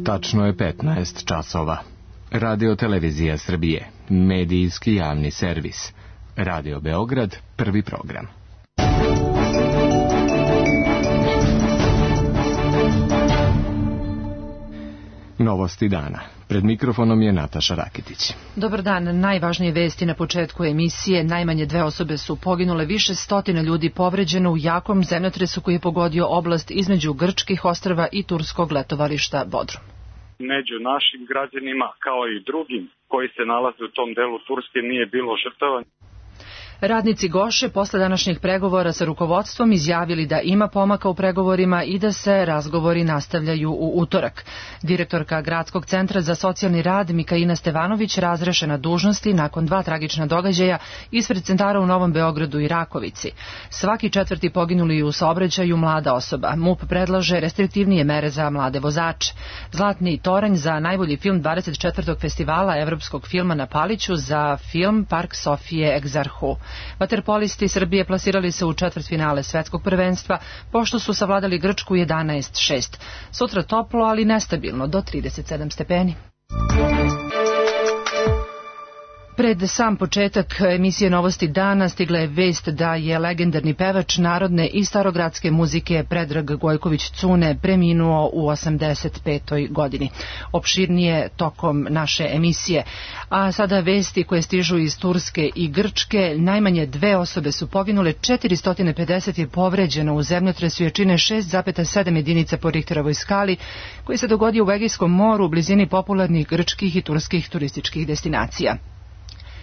Tačno je 15 časova. Radio Televizija Srbije, medijski javni servis. Radio Beograd, prvi program. Novosti dana. Pred mikrofonom je Nataša Rakitić. Dobar dan. Najvažnije vesti na početku emisije. Najmanje 2 osobe su poginule, više stotina ljudi povređeno u jakom zemljotresu koji je pogodio oblast između grčkih ostrva i turskog letovališta Bodrum. Među našim građanima, kao i drugim koji se nalaze u tom delu Turske, nije bilo žrtava. Radnici Goše posle današnjih pregovora sa rukovodstvom izjavili da ima pomaka u pregovorima i da se razgovori nastavljaju u utorak. Direktorka Gradskog centra za socijalni rad Mikaina Stevanović razrešena dužnosti nakon 2 tragična događaja ispred centara u Novom Beogradu i Rakovici. Svaki 4. poginuli u saobraćaju mlada osoba. MUP predlaže restriktivnije mere za mlade vozače. Zlatni toranj za najbolji film 24. festivala evropskog filma na Paliću za film Park Sofije Egzarhu. Vaterpolisti Srbije plasirali se u četvrtfinale svetskog prvenstva, pošto su savladali Grčku 11-6. Sutra toplo, ali nestabilno, do 37 stepeni. Pred sam početak emisije Novosti dana stigla je vest da je legendarni pevač narodne i starogradske muzike Predrag Gojković-Cune preminuo u 85. godini. Opširnije tokom naše emisije. A sada vesti koje stižu iz Turske i Grčke. Najmanje 2 osobe su poginule, 450 je povređeno u zemljotresu jačine 6,7 jedinica po Richterovoj skali koji se dogodio u Egejskom moru u blizini popularnih grčkih i turskih turističkih destinacija.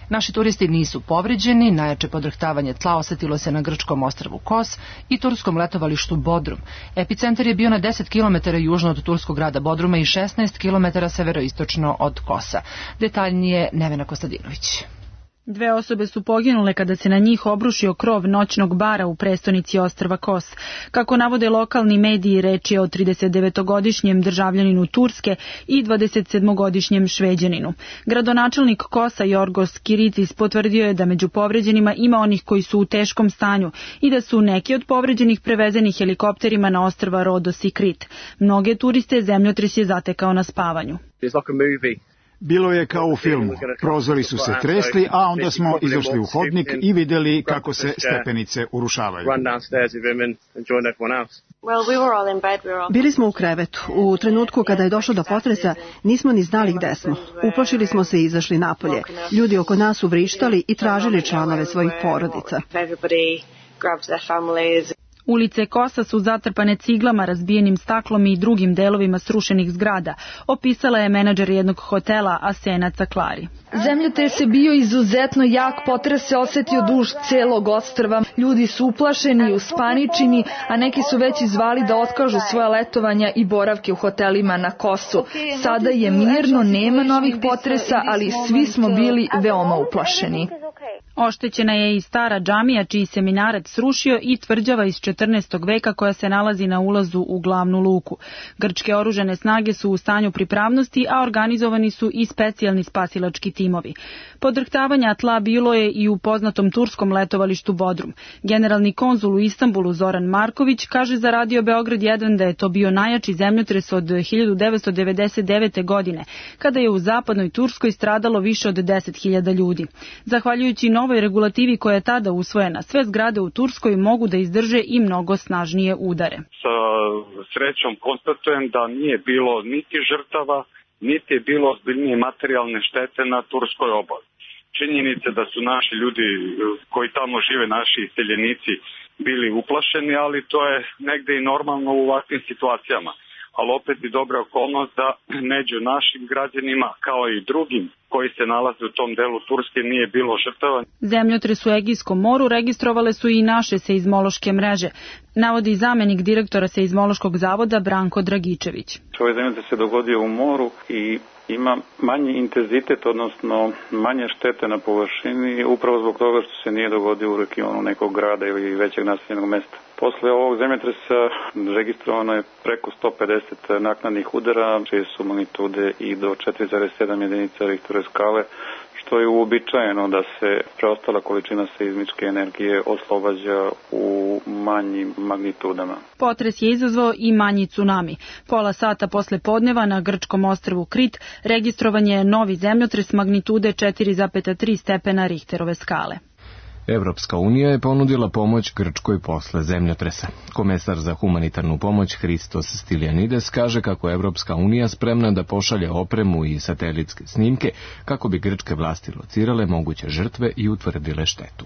Naši turisti nisu povređeni, najjače podrhtavanje tla osetilo se na grčkom ostrvu Kos i turskom letovalištu Bodrum. Epicentar je bio na 10 km južno od turskog grada Bodruma i 16 km severoistočno od Kosa. Detaljnije Nevena Kostadinović. 2 osobe su poginule kada se na njih obrušio krov noćnog bara u prestonici ostrva Kos. Kako navode lokalni mediji, reč je o 39-godišnjem državljaninu Turske i 27-godišnjem Šveđaninu. Gradonačelnik Kosa Jorgos Kiritis potvrdio je da među povređenima ima onih koji su u teškom stanju i da su neki od povređenih prevezeni helikopterima na ostrva Rodos i Krit. Mnoge turiste zemljotres je zatekao na spavanju. Bilo je kao u filmu. Prozori su se tresli, a onda smo izašli u hodnik i vidjeli kako se stepenice urušavaju. Bili smo u krevetu. U trenutku kada je došlo do potresa, nismo ni znali gde smo. Uplašili smo se i izašli napolje. Ljudi oko nas su vrištali i tražili članove svojih porodica. Ulice Kosa su zatrpane ciglama, razbijenim staklom i drugim delovima srušenih zgrada, opisala je menadžer jednog hotela Asena Caklari. Zemljotres je bio izuzetno jak, potres se osetio duž celog ostrva. Ljudi su uplašeni i uspaničeni, a neki su već izvali da otkažu svoja letovanja i boravke u hotelima na Kosu. Sada je mirno, nema novih potresa, ali svi smo bili veoma uplašeni. Oštećena je i stara džamija čiji se minaret srušio i tvrđava iz 14. veka koja se nalazi na ulazu u glavnu luku. Grčke oružane snage su u stanju pripravnosti, a organizovani su i specijalni spasilački timovi. Podrhtavanja tla bilo je i u poznatom turskom letovalištu Bodrum. Generalni konzul u Istanbulu Zoran Marković kaže za Radio Beograd 1 da je to bio najjači zemljotres od 1999. godine, kada je u zapadnoj Turskoj stradalo više od 10.000 ljudi. Zahvaljujući novoj regulativi koja je tada usvojena, sve zgrade u Turskoj mogu da izdrže i mnogo snažnije udare. Sa srećom konstatujem da nije bilo niti žrtava, niti je bilo ozbiljnije materijalne štete na turskoj obali. Činjenice da su naši ljudi koji tamo žive, naši iseljenici, bili uplašeni, ali to je negde i normalno u ovakvim situacijama. Ali opet i dobra okolnost da među našim građanima, kao i drugim koji se nalaze u tom delu Turske, nije bilo žrtava. Zemljotres u Egejskom moru registrovale su i naše seizmološke mreže, navodi zamenik direktora seizmološkog zavoda Branko Dragičević. Ovaj zemljotres se dogodio u moru i ima manji intenzitet, odnosno manje štete na površini, upravo zbog toga što se nije dogodio u regionu nekog grada ili većeg naseljenog mesta. Posle ovog zemljotresa registrovano je preko 150 naknadnih udara, čije su magnitude i do 4,7 jedinica Richterove skale, što je uobičajeno da se preostala količina seizmičke energije oslobađa u manjim magnitudama. Potres je izazvao i manji tsunami. Pola sata posle podneva na grčkom ostrvu Krit registrovan je novi zemljotres magnitude 4,3 stepena Richterove skale. Evropska unija je ponudila pomoć Grčkoj posle zemljotresa. Komesar za humanitarnu pomoć Hristos Stylianides kaže kako je Evropska unija spremna da pošalje opremu i satelitske snimke kako bi grčke vlasti locirale moguće žrtve i utvrdile štetu.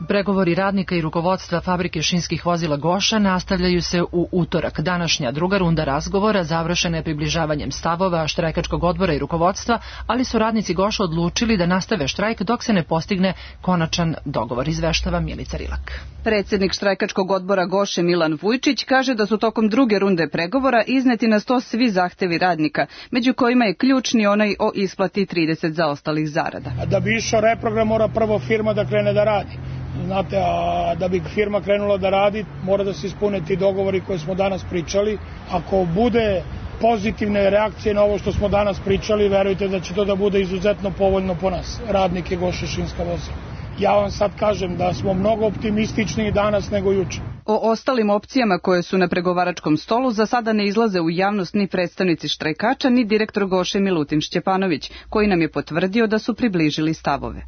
Pregovori radnika i rukovodstva fabrike šinskih vozila Goša nastavljaju se u utorak. Današnja druga runda razgovora završena je približavanjem stavova štrajkačkog odbora i rukovodstva, ali su radnici Goša odlučili da nastave štrajk dok se ne postigne konačan dogovor, izveštava Milica Rilak. Predsjednik štrajkačkog odbora Goše Milan Vujčić kaže da su tokom druge runde pregovora izneti na sto svi zahtevi radnika, među kojima je ključni onaj o isplati 30 zaostalih zarada. Da bi išao reprogram mora prvo firma da krene da radi. Znate, a da bi firma krenula da radi, mora da se ispune ti dogovori koje smo danas pričali. Ako bude pozitivne reakcije na ovo što smo danas pričali, verujte da će to da bude izuzetno povoljno po nas, radnike Goše šinska vozila. Ja vam sad kažem da smo mnogo optimističniji danas nego juče. O ostalim opcijama koje su na pregovaračkom stolu za sada ne izlaze u javnost ni predstavnici štrajkača, ni direktor Goše Milutin Šćepanović, koji nam je potvrdio da su približili stavove.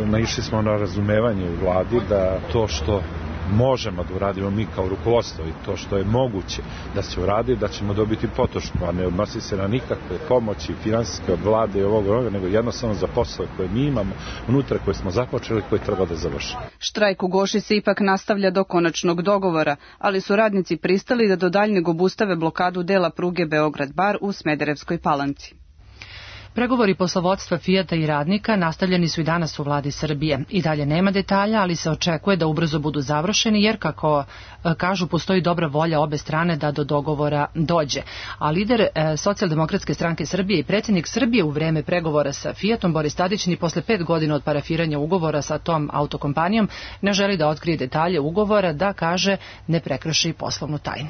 Naišli smo na razumevanje u vladi da to što možemo da uradimo mi kao rukovodstvo i to što je moguće da se uradi, da ćemo dobiti podršku, a ne odnosi se na nikakve pomoći finansijske od vlade i ovoga, nego jednostavno za poslove koje mi imamo unutra, koje smo započeli, koje treba da završimo. Štrajk u Goši se ipak nastavlja do konačnog dogovora, ali su radnici pristali da do daljnjeg obustave blokadu dela pruge Beograd-Bar u Smederevskoj Palanci. Pregovori poslovodstva Fijata i radnika nastavljeni su i danas u vladi Srbije. I dalje nema detalja, ali se očekuje da ubrzo budu završeni, jer, kako kažu, postoji dobra volja obe strane da do dogovora dođe. A lider Socijaldemokratske stranke Srbije i predsjednik Srbije u vreme pregovora sa Fijatom, Boris Tadić, ni posle 5 godina od parafiranja ugovora sa tom autokompanijom ne želi da otkrije detalje ugovora, da, kaže, ne prekrši poslovnu tajnu.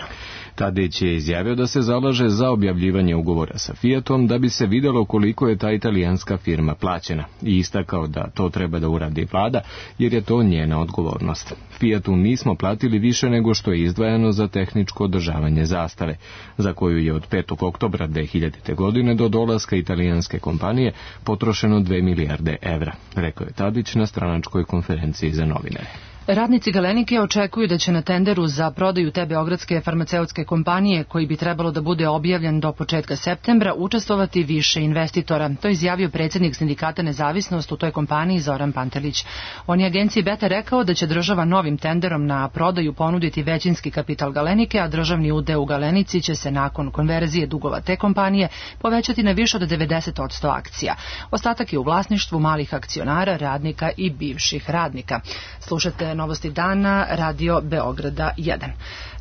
Tadić je izjavio da se zalaže za objavljivanje ugovora sa Fijatom da bi se videlo koliko je ta italijanska firma plaćena i istakao da to treba da uradi vlada jer je to njena odgovornost. Fijatu nismo platili više nego što je izdvajano za tehničko održavanje zastave, za koju je od 5. oktobra 2000. godine do dolaska italijanske kompanije potrošeno 2 milijarde evra, rekao je Tadić na stranačkoj konferenciji za novinare. Radnici Galenike očekuju da će na tenderu za prodaju te beogradske farmaceutske kompanije, koji bi trebalo da bude objavljen do početka septembra, učestvovati više investitora. To je izjavio predsjednik sindikata Nezavisnost u toj kompaniji Zoran Pantelić. On je agenciji Beta rekao da će država novim tenderom na prodaju ponuditi većinski kapital Galenike, a državni udeo u Galenici će se nakon konverzije dugova te kompanije povećati na više od 90% akcija. Ostatak je u vlasništvu malih akcionara, radnika i bivših radnika. Slušate Novosti dana, Radio Beograda 1.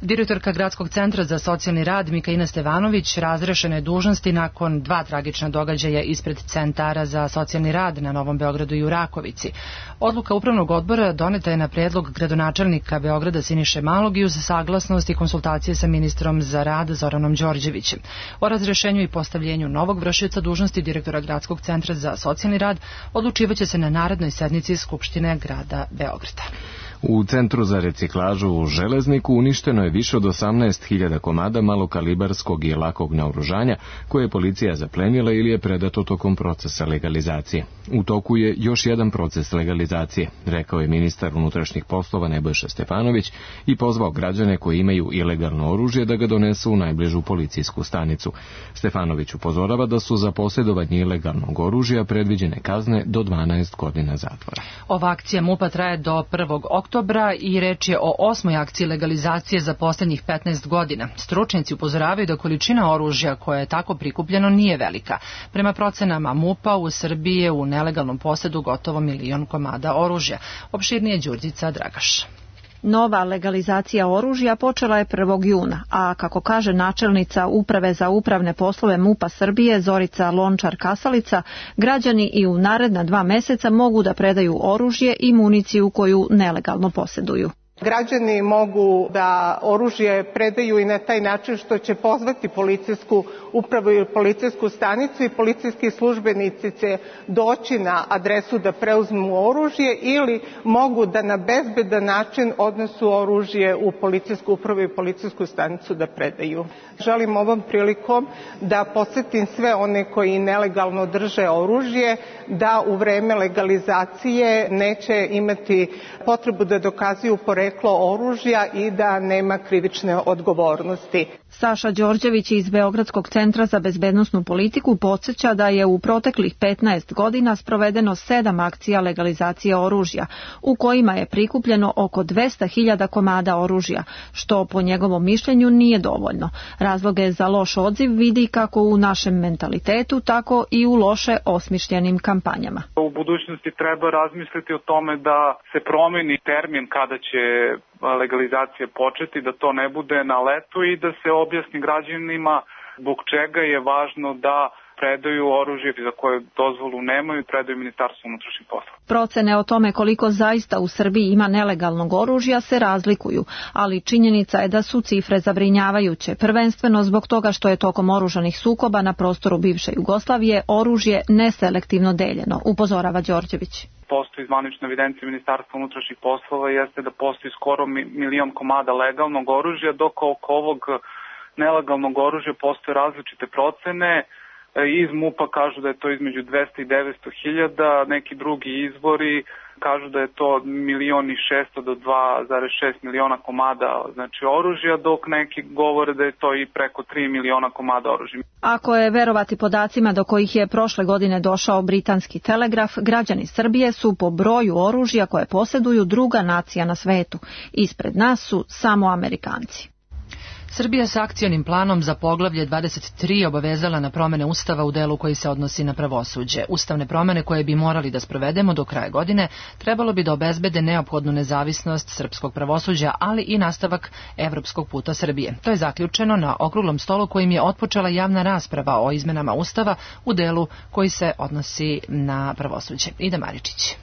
Direktorka Gradskog centra za socijalni rad Mikaina Stevanović razrešena je dužnosti nakon 2 tragična događaja ispred centara za socijalni rad na Novom Beogradu i u Rakovici. Odluka upravnog odbora doneta je na predlog gradonačelnika Beograda Siniše Malog i uz saglasnost i konsultacije sa ministrom za rad Zoranom Đorđevićem. O razrešenju i postavljenju novog vršioca dužnosti direktora Gradskog centra za socijalni rad odlučivaće se na narednoj sednici Skupštine grada Beograda. U Centru za reciklažu u Železniku uništeno je više od 18.000 komada malokalibarskog i lakog naoružanja koje je policija zaplenila ili je predato tokom procesa legalizacije. U toku je još jedan proces legalizacije, rekao je ministar unutrašnjih poslova Nebojša Stefanović i pozvao građane koji imaju ilegalno oružje da ga donesu u najbližu policijsku stanicu. Stefanović upozorava da su za posjedovanje ilegalnog oružja predviđene kazne do 12 godina zatvora. Ova akcija MUP-a traje do 1. oktobra i reč je o 8. akciji legalizacije za posljednjih 15 godina. Stručnjaci upozoravaju da količina oružja koja je tako prikupljeno nije velika. Prema procenama MUP-a u Srbiji je u nelegalnom posedu gotovo 1 milion komada oružja. Opširnije Đurđica Dragaš. Nova legalizacija oružja počela je 1. juna, a kako kaže načelnica Uprave za upravne poslove MUP-a Srbije Zorica Lončar-Kasalica, građani i u naredna 2 meseca mogu da predaju oružje i municiju koju nelegalno posjeduju. Građani mogu da oružje predaju i na taj način što će pozvati policijsku upravu ili policijsku stanicu i policijski službenici će doći na adresu da preuzmu oružje ili mogu da na bezbedan način odnesu oružje u policijsku upravu i policijsku stanicu da predaju. Želim ovom prilikom da podsjetim sve one koji nelegalno drže oružje da u vreme legalizacije neće imati potrebu da dokazuju poreklo oružja i da nema krivične odgovornosti. Saša Đorđević iz Beogradskog centra za bezbednosnu politiku podsjeća da je u proteklih 15 godina sprovedeno 7 akcija legalizacije oružja, u kojima je prikupljeno oko 200.000 komada oružja, što po njegovom mišljenju nije dovoljno. Razloge za loš odziv vidi kako u našem mentalitetu, tako i u loše osmišljenim kampanjama. U budućnosti treba razmisliti o tome da se promeni termin kada će legalizacija početi, da to ne bude na letu i da se objasni građanima zbog čega je važno da predaju oružje za koje dozvolu nemaju i predaju Ministarstvu unutrašnjih poslova. Procene o tome koliko zaista u Srbiji ima nelegalnog oružja se razlikuju, ali činjenica je da su cifre zabrinjavajuće, prvenstveno zbog toga što je tokom oružanih sukoba na prostoru bivše Jugoslavije oružje neselektivno deljeno, upozorava Đorđević. Postoji zvanična evidencija Ministarstva unutrašnjih poslova jeste da postoji skoro 1.000.000 komada legalnog oružja, dok oko ovog nelegalnog oružja postoje različite procene. Iz MUP-a kažu da je to između 200 i 900.000, neki drugi izvori kažu da je to 1.600.000 do 2,6 miliona komada znači oružja, dok neki govore da je to i preko 3 miliona komada oružja. Ako je verovati podacima do kojih je prošle godine došao britanski Telegraf, građani Srbije su po broju oružja koje posjeduju druga nacija na svetu. Ispred nas su samo Amerikanci. Srbija s akcionim planom za poglavlje 23 obavezala na promene Ustava u delu koji se odnosi na pravosuđe. Ustavne promene koje bi morali da sprovedemo do kraja godine trebalo bi da obezbede neophodnu nezavisnost srpskog pravosuđa, ali i nastavak evropskog puta Srbije. To je zaključeno na okruglom stolu kojim je otpočela javna rasprava o izmenama Ustava u delu koji se odnosi na pravosuđe. Ida Maričić.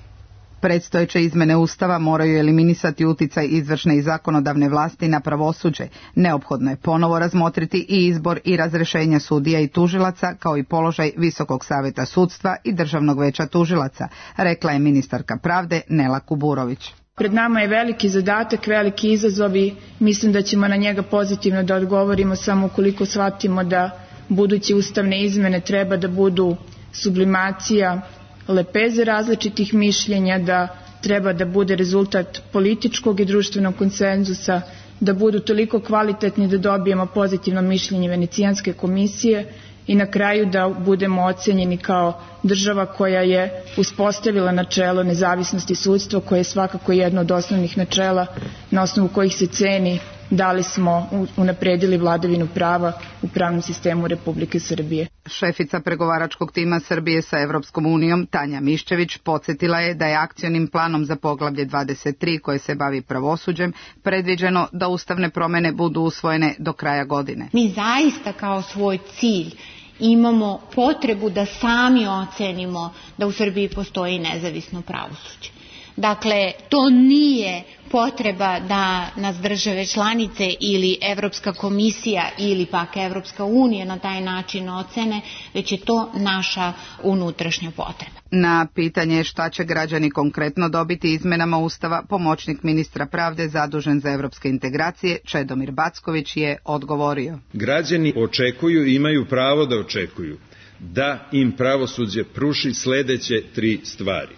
Predstojeće izmene Ustava moraju eliminisati uticaj izvršne i zakonodavne vlasti na pravosuđe. Neophodno je ponovo razmotriti i izbor i razrešenja sudija i tužilaca, kao i položaj Visokog saveta sudstva i Državnog veća tužilaca, rekla je ministarka pravde Nela Kuburović. Pred nama je veliki zadatak, veliki izazov i mislim da ćemo na njega pozitivno da odgovorimo samo ukoliko shvatimo da buduće ustavne izmene treba da budu sublimacija lepeze različitih mišljenja, da treba da bude rezultat političkog i društvenog konsenzusa, da budu toliko kvalitetni da dobijemo pozitivno mišljenje Venecijanske komisije i na kraju da budemo ocenjeni kao država koja je uspostavila načelo nezavisnosti sudstva, koje je svakako jedno od osnovnih načela na osnovu kojih se ceni da li smo unapredili vladavinu prava u pravnom sistemu Republike Srbije. Šefica pregovaračkog tima Srbije sa Evropskom unijom, Tanja Miščević, podsjetila je da je akcionim planom za poglavlje 23 koje se bavi pravosuđem predviđeno da ustavne promene budu usvojene do kraja godine. Mi zaista kao svoj cilj imamo potrebu da sami ocenimo da u Srbiji postoji nezavisno pravosuđe. Dakle, to nije potreba da nas države članice ili Evropska komisija ili pak Evropska unija na taj način ocene, već je to naša unutrašnja potreba. Na pitanje šta će građani konkretno dobiti izmenama Ustava, pomoćnik ministra pravde zadužen za evropske integracije Čedomir Backović je odgovorio. Građani očekuju i imaju pravo da očekuju da im pravosuđe pruži sledeće 3 stvari.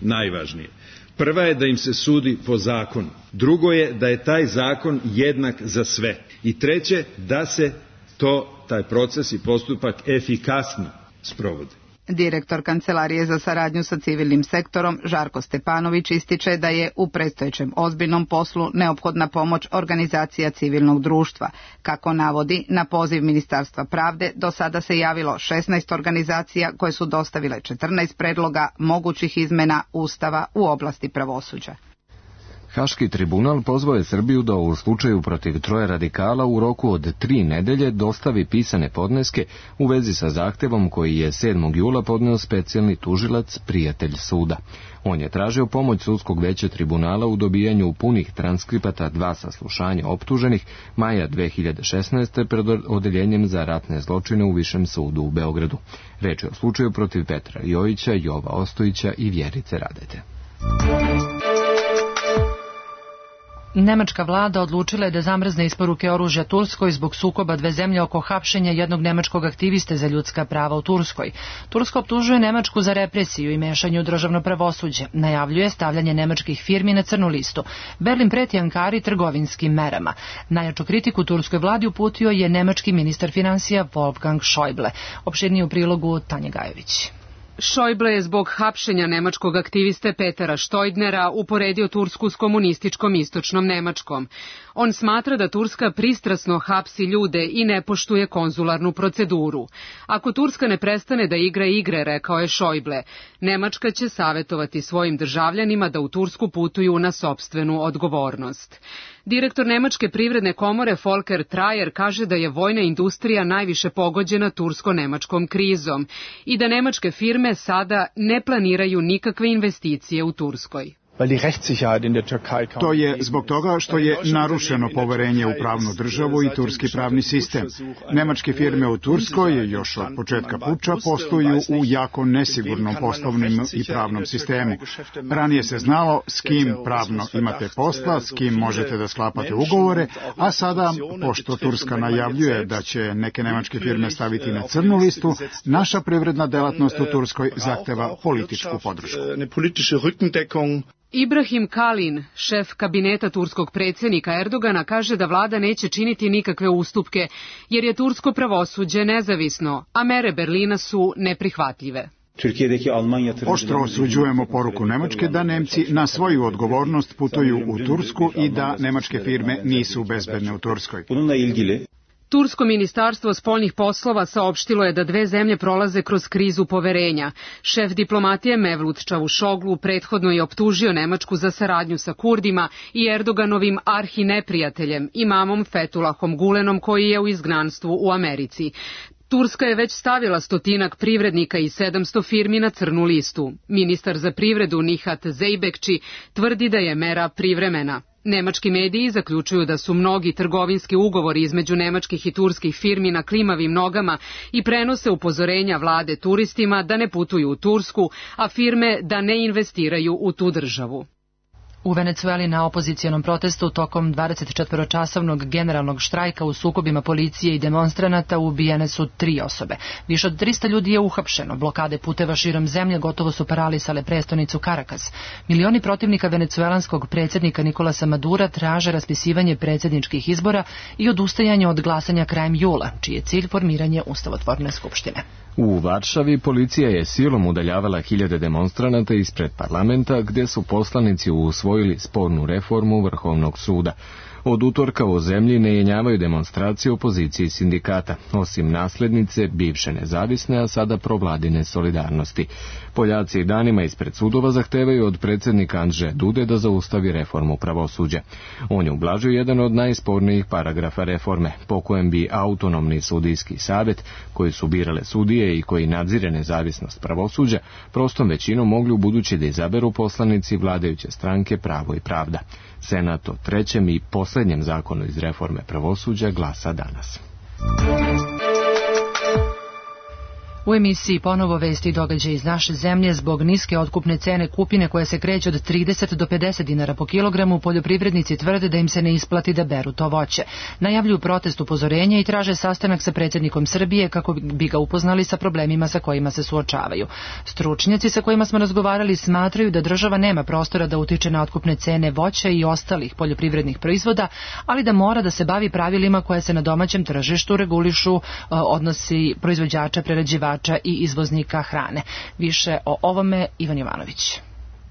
Najvažnije. Prva je da im se sudi po zakonu. Drugo je da je taj zakon jednak za sve. I treće, da se taj proces i postupak efikasno sprovodi. Direktor Kancelarije za saradnju sa civilnim sektorom Žarko Stepanović ističe da je u predstojećem ozbiljnom poslu neophodna pomoć organizacija civilnog društva. Kako navodi, na poziv Ministarstva pravde do sada se javilo 16 organizacija koje su dostavile 14 predloga mogućih izmena Ustava u oblasti pravosuđa. Haški tribunal pozvao je Srbiju da u slučaju protiv 3 radikala u roku od 3 nedelje dostavi pisane podneske u vezi sa zahtevom koji je 7. jula podneo specijalni tužilac Prijatelj suda. On je tražio pomoć sudskog veća tribunala u dobijanju punih transkripata 2 saslušanja optuženih maja 2016. pred odeljenjem za ratne zločine u Višem sudu u Beogradu. Reč je o slučaju protiv Petra Jojića, Jova Ostojića i Vjerice Radete. Nemačka vlada odlučila je da zamrzne isporuke oružja Turskoj zbog sukoba dve zemlje oko hapšenja jednog nemačkog aktiviste za ljudska prava u Turskoj. Turska optužuje Nemačku za represiju i mešanje u državno pravosuđe. Najavljuje stavljanje nemačkih firmi na crnu listu. Berlin preti Ankari trgovinskim merama. Najjaču kritiku turskoj vladi uputio je nemački ministar finansija Wolfgang Schäuble. Opširnije u prilogu Tanje Gajović. Schäuble je zbog hapšenja nemačkog aktiviste Petera Štojdnera uporedio Tursku s komunističkom istočnom Nemačkom. On smatra da Turska pristrasno hapsi ljude i ne poštuje konzularnu proceduru. Ako Turska ne prestane da igra igre, rekao je Schäuble, Nemačka će savjetovati svojim državljanima da u Tursku putuju na sopstvenu odgovornost. Direktor Nemačke privredne komore Volker Trajer kaže da je vojna industrija najviše pogođena tursko-nemačkom krizom i da nemačke firme sada ne planiraju nikakve investicije u Turskoj. To je zbog toga što je narušeno poverenje u pravnu državu i turski pravni sistem. Nemačke firme u Turskoj još od početka puča posluju u jako nesigurnom poslovnom i pravnom sistemu. Ranije se znalo s kim pravno imate posla, s kim možete da sklapate ugovore, a sada, pošto Turska najavljuje da će neke nemačke firme staviti na crnu listu, naša privredna delatnost u Turskoj zahteva političku podršku. Ibrahim Kalin, šef kabineta turskog predsjednika Erdogana, kaže da vlada neće činiti nikakve ustupke, jer je tursko pravosuđe nezavisno, a mere Berlina su neprihvatljive. Oštro osuđujemo poruku Nemačke da Nemci na svoju odgovornost putuju u Tursku i da nemačke firme nisu bezbedne u Turskoj. Tursko ministarstvo spoljnih poslova saopštilo je da dve zemlje prolaze kroz krizu poverenja. Šef diplomatije Mevlut Čavušoglu prethodno je optužio Nemačku za saradnju sa Kurdima i Erdoganovim arhineprijateljem, imamom Fethullahom Gulenom, koji je u izgnanstvu u Americi. Turska je već stavila 100 privrednika i 700 firmi na crnu listu. Ministar za privredu Nihat Zeybekci tvrdi da je mera privremena. Nemački mediji zaključuju da su mnogi trgovinski ugovori između nemačkih i turskih firmi na klimavim nogama i prenose upozorenja vlade turistima da ne putuju u Tursku, a firme da ne investiraju u tu državu. U Venecueli na opozicijonom protestu tokom 24-časovnog generalnog štrajka u sukobima policije i demonstranata ubijene su 3 osobe. Više od 300 ljudi je uhapšeno. Blokade puteva širom zemlje gotovo su paralisale prestonicu Caracas. Milioni protivnika venecuelanskog predsjednika Nikolasa Madura traže raspisivanje predsjedničkih izbora i odustajanje od glasanja krajem jula, čiji je cilj formiranje ustavotvorne skupštine. U Varšavi policija je silom udaljavala hiljade demonstranata ispred parlamenta gdje su poslanici usvojili spornu reformu Vrhovnog suda. Od utorka u zemlji ne jenjavaju demonstracije opoziciji sindikata, osim naslednice bivše nezavisne, a sada provladine Solidarnosti. Poljaci i danima ispred sudova zahtevaju od predsjednika Andžeja Dude da zaustavi reformu pravosuđa. On je ublažio jedan od najspornijih paragrafa reforme, po kojem bi autonomni sudijski savjet, koji su birale sudije i koji nadzire nezavisnost pravosuđa, prostom većinom mogli ubuduće da izaberu poslanici vladajuće stranke Pravo i pravda. Senat o trećem i posljednjem zakonu iz reforme pravosuđa glasa danas. U emisiji ponovo vesti i događaje iz naše zemlje. Zbog niske otkupne cene kupine koja se kreće od 30 do 50 dinara po kilogramu, poljoprivrednici tvrde da im se ne isplati da beru to voće. Najavljuju protest upozorenja i traže sastanak sa predsjednikom Srbije kako bi ga upoznali sa problemima sa kojima se suočavaju. Stručnjaci sa kojima smo razgovarali smatraju da država nema prostora da utiče na otkupne cene voća i ostalih poljoprivrednih proizvoda, ali da mora da se bavi pravilima koje se na domaćem tržištu regulišu odnosi proizvođača, prerađivača i izvoznika hrane. Više o ovome Ivan Jovanović.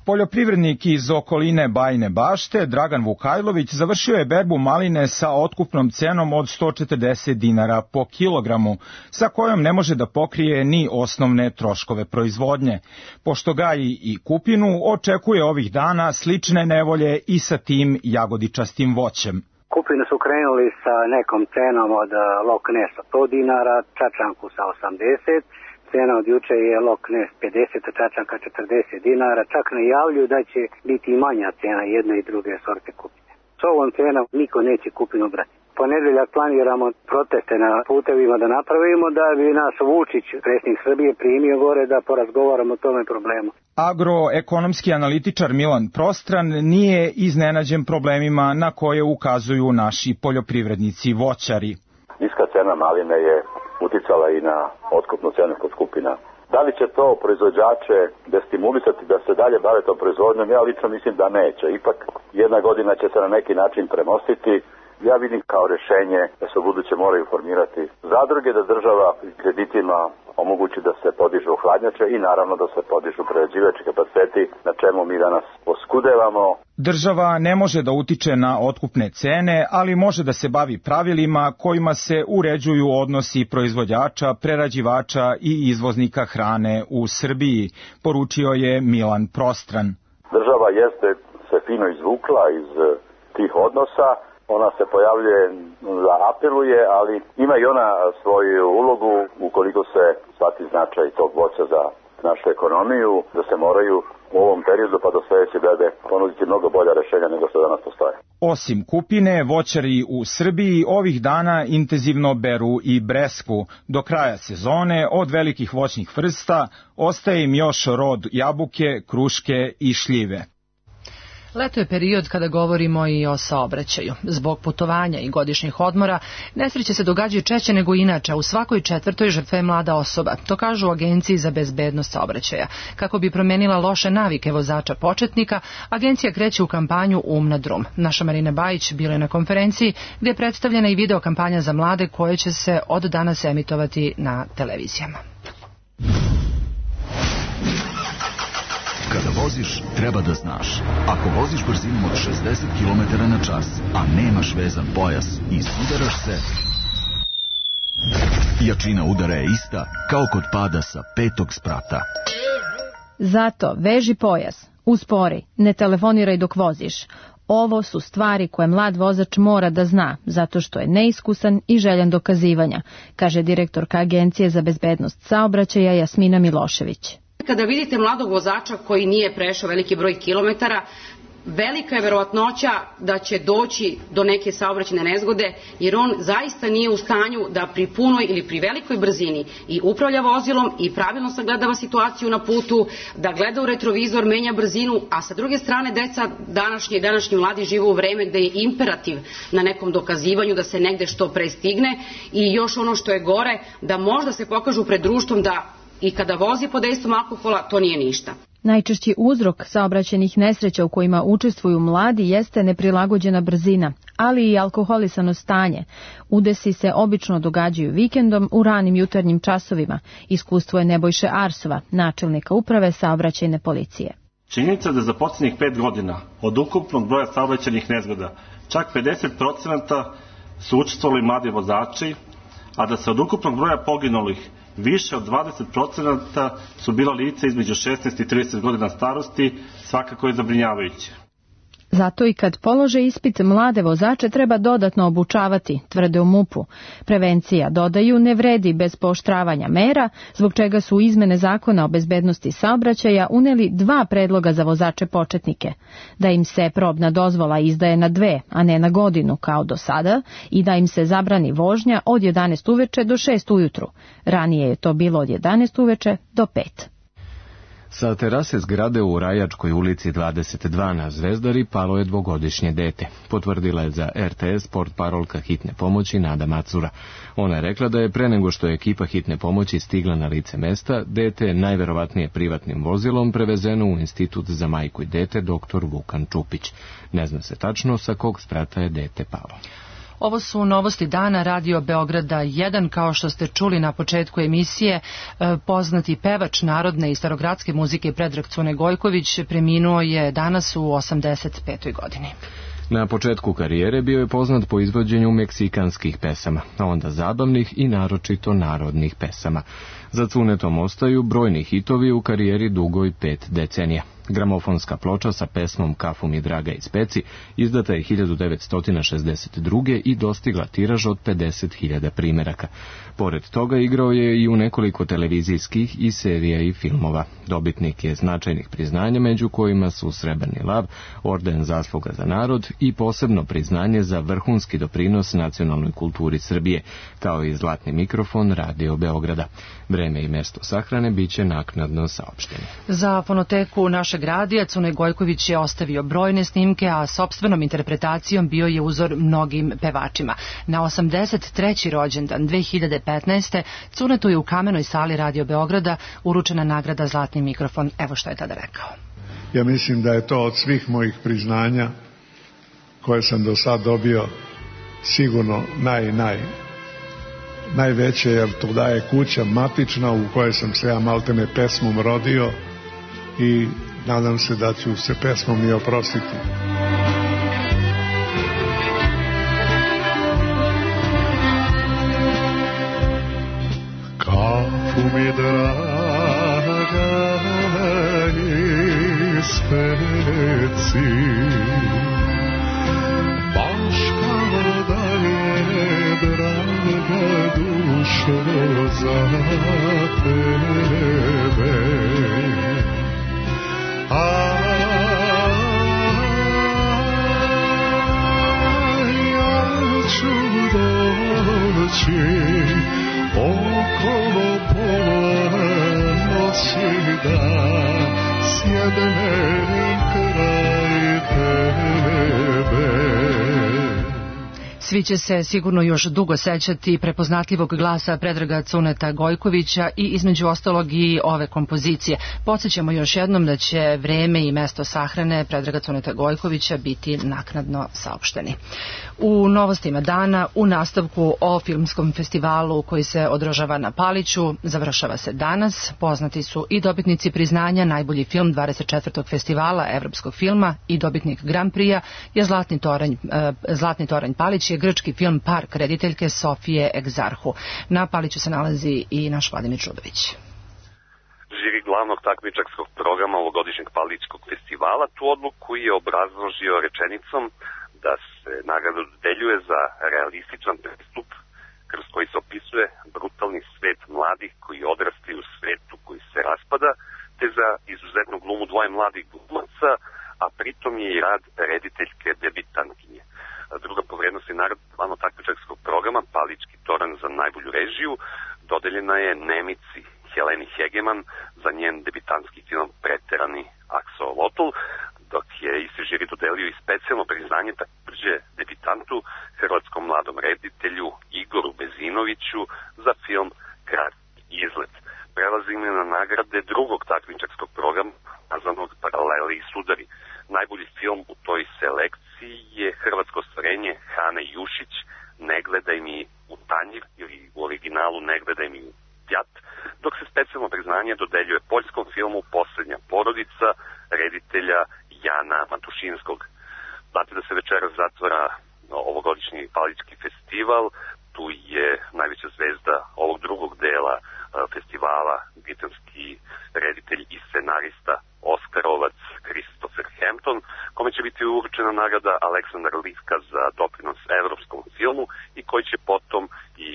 Poljoprivrednik iz okoline Bajine Bašte, Dragan Vukajlović, završio je berbu maline sa otkupnom cenom od 140 dinara po kilogramu, sa kojom ne može da pokrije ni osnovne troškove proizvodnje. Pošto gaji i kupinu, očekuje ovih dana slične nevolje i sa tim jagodičastim voćem. Kupinu su krenuli sa nekom cenom od Loknesa 100 dinara, čačanku sa 80. Cena od juče je Loknes 50, a čačanka 40 dinara. Čak najavljuju da će biti i manja cena jedne i druge sorte kupine. S ovom cenom niko neće kupinu brati. Ponedeljak planiramo proteste na putevima da napravimo, da bi nas Vučić, predsjednik Srbije, primio gore da porazgovaramo o tome problemu. Agroekonomski analitičar Milan Prostran nije iznenađen problemima na koje ukazuju naši poljoprivrednici voćari. Niska cena maline je uticala i na otkupnu cenu kod skupina. Da li će to proizvođače destimulisati da se dalje bave tom proizvodnjom? Ja lično mislim da neće. Ipak jedna godina će se na neki način premostiti. Ja vidim kao rešenje da se u buduće moraju formirati zadruge, da država kreditima omogući da se podižu hladnjače i naravno da se podižu prerađivački kapaciteti, na čemu mi danas poskudevamo. Država ne može da utiče na otkupne cene, ali može da se bavi pravilima kojima se uređuju odnosi proizvođača, prerađivača i izvoznika hrane u Srbiji, poručio je Milan Prostran. Država jeste se fino izvukla iz tih odnosa. Ona se pojavljuje da apeluje, ali ima i ona svoju ulogu ukoliko se shvati značaj tog voća za našu ekonomiju, da se moraju u ovom periodu pa do sledeće bede ponuditi mnogo bolja rešenja nego što danas postoje. Osim kupine, voćari u Srbiji ovih dana intenzivno beru i bresku. Do kraja sezone od velikih voćnih vrsta ostaje im još rod jabuke, kruške i šljive. Leto je period kada govorimo i o saobraćaju. Zbog putovanja i godišnjih odmora, nesreće se događaju češće nego inače, u svakoj četvrtoj žrtva je mlada osoba. To kažu u Agenciji za bezbednost saobraćaja. Kako bi promenila loše navike vozača početnika, agencija kreće u kampanju Um na drum. Naša Marina Bajić bila je na konferenciji gdje je predstavljena i video kampanja za mlade koje će se od danas emitovati na televizijama. Kada voziš, treba da znaš. Ako voziš brzinom od 60 km na čas, a nemaš vezan pojas i sudaraš se, jačina udara je ista kao kod pada sa 5. sprata. Zato veži pojas, uspori, ne telefoniraj dok voziš. Ovo su stvari koje mlad vozač mora da zna, zato što je neiskusan i željan dokazivanja, kaže direktorka Agencije za bezbednost saobraćaja Jasmina Milošević. Kada vidite mladog vozača koji nije prešao veliki broj kilometara, velika je verovatnoća da će doći do neke saobraćajne nezgode, jer on zaista nije u stanju da pri punoj ili pri velikoj brzini i upravlja vozilom i pravilno sagledava situaciju na putu, da gleda u retrovizor, menja brzinu, a sa druge strane deca današnji mladi žive u vreme gde je imperativ na nekom dokazivanju da se negde što pre stigne i još ono što je gore, da možda se pokažu pred društvom da i kada vozi pod dejstvom alkohola, to nije ništa. Najčešći uzrok saobraćajnih nesreća u kojima učestvuju mladi jeste neprilagođena brzina, ali i alkoholisano stanje. Udesi se obično događaju vikendom u ranim jutarnjim časovima. Iskustvo je Nebojše Arsova, načelnika uprave saobraćajne policije. Činjenica da za posljednjih 5 godina od ukupnog broja saobraćajnih nezgoda čak 50% su učestvovali mladi vozači, a da se od ukupnog broja poginulih više od 20% su bila lica između 16 i 30 godina starosti, svakako je zabrinjavajuće. Zato i kad polože ispit, mlade vozače treba dodatno obučavati, tvrde u MUP-u. Prevencija, dodaju, ne vredi bez pooštravanja mera, zbog čega su izmene zakona o bezbednosti saobraćaja uneli 2 predloga za vozače početnike. Da im se probna dozvola izdaje na 2, a ne na godinu kao do sada, i da im se zabrani vožnja od 11 uveče do 6 ujutru. Ranije je to bilo od 11 uveče do 5. Sa terase zgrade u Rajačkoj ulici 22 na Zvezdari palo je 2-godišnje dete. Potvrdila je za RTS portparolka hitne pomoći Nada Macura. Ona je rekla da je pre nego što je ekipa hitne pomoći stigla na lice mesta, dete najverovatnije privatnim vozilom prevezeno u Institut za majku i dete dr. Vukan Čupić. Ne zna se tačno sa kog sprata je dete palo. Ovo su novosti dana Radio Beograda 1. Kao što ste čuli na početku emisije, poznati pevač narodne i starogradske muzike Predrag Cune Gojković preminuo je danas u 85. godini. Na početku karijere bio je poznat po izvođenju meksikanskih pesama, a onda zabavnih i naročito narodnih pesama. Za Cunetom ostaju brojni hitovi u karijeri dugoj 5 decenija. Gramofonska ploča sa pesmom Kafu mi draga iz peci izdata je 1962. i dostigla tiraž od 50.000 primeraka. Pored toga igrao je i u nekoliko televizijskih i serija i filmova. Dobitnik je značajnih priznanja, među kojima su Srebrni lav, Orden zasluga za narod i posebno priznanje za vrhunski doprinos nacionalnoj kulturi Srbije, kao i zlatni mikrofon Radio Beograda. Vreme i mesto sahrane biće naknadno saopšteni. Za fonoteku našeg radija Cune Gojković je ostavio brojne snimke, a sopstvenom interpretacijom bio je uzor mnogim pevačima. Na 83. rođendan 2015. Cunetu je u Kamenoj sali Radio Beograda uručena nagrada Zlatni mikrofon. Evo što je tada rekao. Ja mislim da je to od svih mojih priznanja koje sam do sad dobio sigurno najveće, jer to daje kuća matična u kojoj sam se ja maltene pesmom rodio i nadam se da ću se pesmom i oprostiti. Kafu mi draga iz peci, baš kao da je draga dušo za tebe. Ja ću doći okolo pola noći da sjednem kraj tebe. Svi će se sigurno još dugo sećati prepoznatljivog glasa Predraga Cuneta Gojkovića i između ostalog i ove kompozicije. Podsjećamo još jednom da će vreme i mesto sahrane Predraga Cuneta Gojkovića biti naknadno saopšteni. U novostima dana, u nastavku o filmskom festivalu koji se održava na Paliću, završava se danas. Poznati su i dobitnici priznanja najbolji film 24. festivala evropskog filma i dobitnik Grand Prix-a je Zlatni toranj Palić je grčki film Park rediteljke Sofije Egzarhu. Na Paliću se nalazi i naš Vladimir Čudović. Žiri glavnog takmičarskog programa ovogodišnjeg Palićkog festivala tu odluku je obrazložio rečenicom da se nagrada dodeljuje za realističan pristup kroz koji se opisuje brutalni svet mladih koji odrastaju u svetu koji se raspada, te za izuzetnu glumu dvoje mladih glumaca, a pritom je i rad rediteljke debitantkinje. Druga po vrednosti nagrada glavnog takmičarskog programa Palićki toranj za najbolju režiju dodeljena je Nemici Heleni Hegeman za njen debitantski film Preterani aksolotl, dok je isti žiri dodelio i specijalno priznanje takođe debitantu, hrvatskom mladom reditelju Igoru Bezinoviću za film Kratki izlet. Prelazimo na nagrade drugog takmičarskog programa nazvanog Paralele i sudari. Najbolji film u toj selekciji je hrvatsko ostvarenje Hane Jušić Ne gledaj mi u tanjir ili u originalu Ne gledaj mi u pjat, dok se specijalno priznanje dodeljuje poljskom filmu Poslednja porodica reditelja Jana Matušinskog. Znate da se večeras zatvara ovogodišnji Palićki festival, tu je najveća zvezda ovog drugog dela festivala britanski reditelj i scenarista Oskarovac Christopher Hampton, kome će biti uručena nagrada Aleksandar Liska za doprinos evropskom filmu i koji će potom i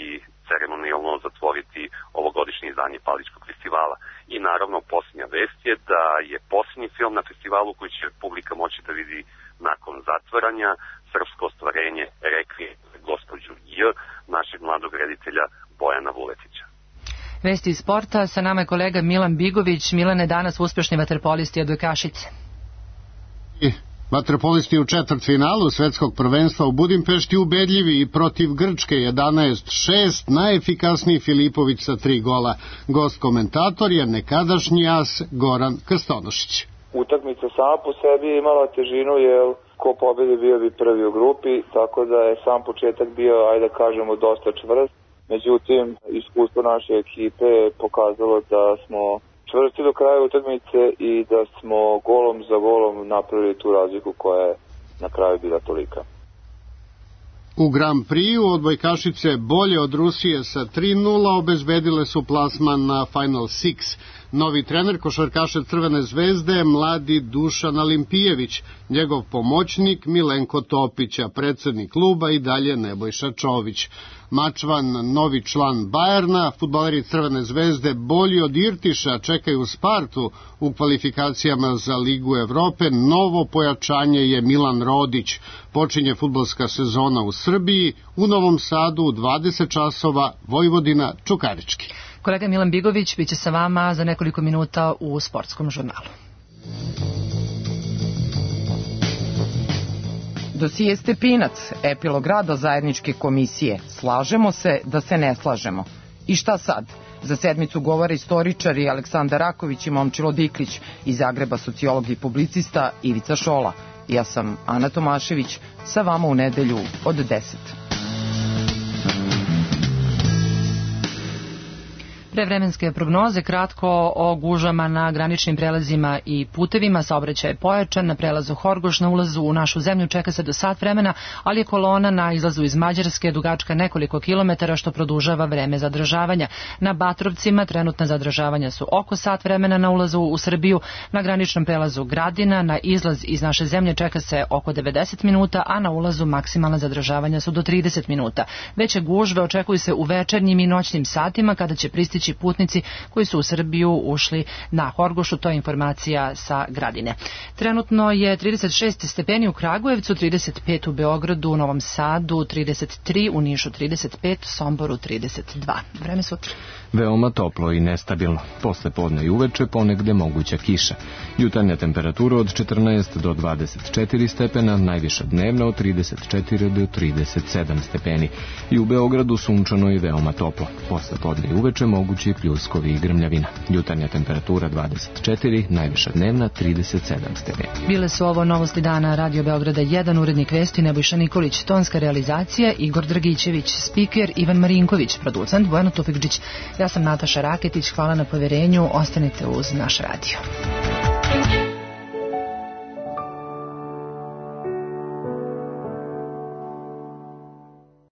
ceremonijalno zatvoriti ovogodišnje izdanje Palićkog festivala. I naravno posljednja vest je da je posljednji film na festivalu koji će publika moći da vidi nakon zatvaranja srpsko ostvarenje Rekvijem za gospođu J, našeg mladog reditelja Bojana Vuletića. Vesti iz sporta, sa nama je kolega Milan Bigović. Milane, danas uspešni vaterpolisti odbojkašice. Vaterpolisti u četvrtfinalu svetskog prvenstva u Budimpešti ubedljivi i protiv Grčke 11-6, najefikasniji Filipović sa 3 gola. Gost komentator je nekadašnji as Goran Krstonošić. Utakmica sama po sebi je imala težinu jer ko pobedi bio bi prvi u grupi, tako da je sam početak bio, ajde da kažemo, dosta čvrst. Međutim, iskustvo naše ekipe je pokazalo da smo čvrsti do kraja utakmice i da smo golom za golom napravili tu razliku koja je na kraju bila tolika. U Grand Prix odbojkašice bolje od Rusije sa 3:0 obezbedile su plasman na Final Six. Novi trener košarkaša Crvene zvezde je mladi Dušan Alimpijević, njegov pomoćnik Milenko Topić, a predsednik kluba i dalje Nebojša Čović. Mačvan, novi član Bajerna, fudbaleri Crvene zvezde bolji od Irtiša čekaju Spartu u kvalifikacijama za Ligu Evrope. Novo pojačanje je Milan Rodić. Počinje fudbalska sezona u Srbiji, u Novom Sadu u 20 časova, Vojvodina Čukarički. Kolega Milan Bigović biće sa vama za nekoliko minuta u sportskom žurnalu. Dosije Stepinac, epilog rada zajedničke komisije. Slažemo se da se ne slažemo. I šta sad? Za sedmicu govore istoričari Aleksandar Raković i Momčilo Diklić, iz Zagreba sociolog i publicista Ivica Šola. Ja sam Ana Tomašević, sa vama u nedelju od 10. Prevremenske prognoze, kratko o gužama na graničnim prelazima i putevima. Saobraćaj je pojačan na prelazu Horgoš, na ulazu u našu zemlju čeka se do sat vremena, ali je kolona na izlazu iz Mađarske dugačka nekoliko kilometara, što produžava vreme zadržavanja. Na Batrovcima trenutna zadržavanja su oko sat vremena na ulazu u Srbiju. Na graničnom prelazu Gradina na izlaz iz naše zemlje čeka se oko 90 minuta, a na ulazu maksimalna zadržavanja su do 30 minuta. Veće gužve očekuju se u večernjim i noćnim satima, kada će pristići putnici koji su u Srbiju ušli na Horgošu. To je informacija sa Gradine. Trenutno je 36 stepeni u Kragujevcu, 35 u Beogradu, u Novom Sadu 33, u Nišu 35, Somboru 32. Vreme sutra. Veoma toplo i nestabilno. Posle podne i uveče ponegde moguća kiša. Jutarnja temperatura od 14 do 24 stepena, najviša dnevna od 34 do 37 stepeni. I u Beogradu sunčano i veoma toplo. Posle podne i uveče mogući pljuskovi i grmljavina. Jutarnja temperatura 24, najviša dnevna 37 stepeni. Bile su ovo novosti dana Radio Beograda 1, urednik vesti Nebojša Nikolić, tonska realizacija Igor Dragićević, spiker Ivan Marinković, producent Bojana Tufekđić. Ja sam Nataša Raketić, hvala na poverenju, ostanite uz naš radio.